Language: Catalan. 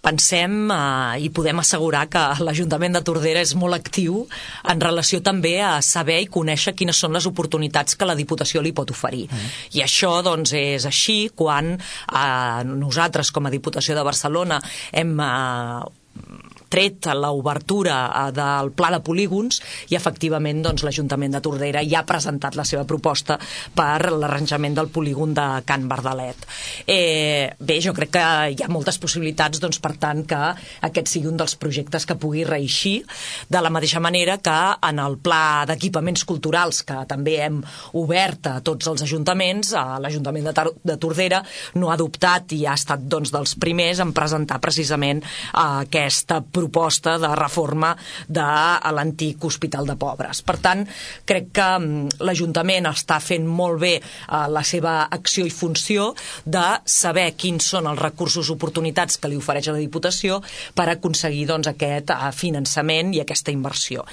pensem i podem assegurar que l'Ajuntament de Tordera és molt actiu en relació també a saber i conèixer quines són les oportunitats que la Diputació li pot oferir. I això doncs és així quan nosaltres com a Diputació de Barcelona hem tret l'obertura del pla de polígons i efectivament doncs, l'Ajuntament de Tordera ja ha presentat la seva proposta per l'arranjament del polígon de Can Bardalet. Bé, jo crec que hi ha moltes possibilitats doncs, per tant que aquest sigui un dels projectes que pugui reeixir, de la mateixa manera que en el pla d'equipaments culturals que també hem obert a tots els ajuntaments, l'Ajuntament de Tordera no ha adoptat i ha estat doncs, dels primers en presentar precisament aquesta proposta de reforma de l'antic Hospital de Pobres. Per tant, crec que l'Ajuntament està fent molt bé la seva acció i funció de saber quins són els recursos, oportunitats que li ofereix a la Diputació per aconseguir doncs, aquest finançament i aquesta inversió.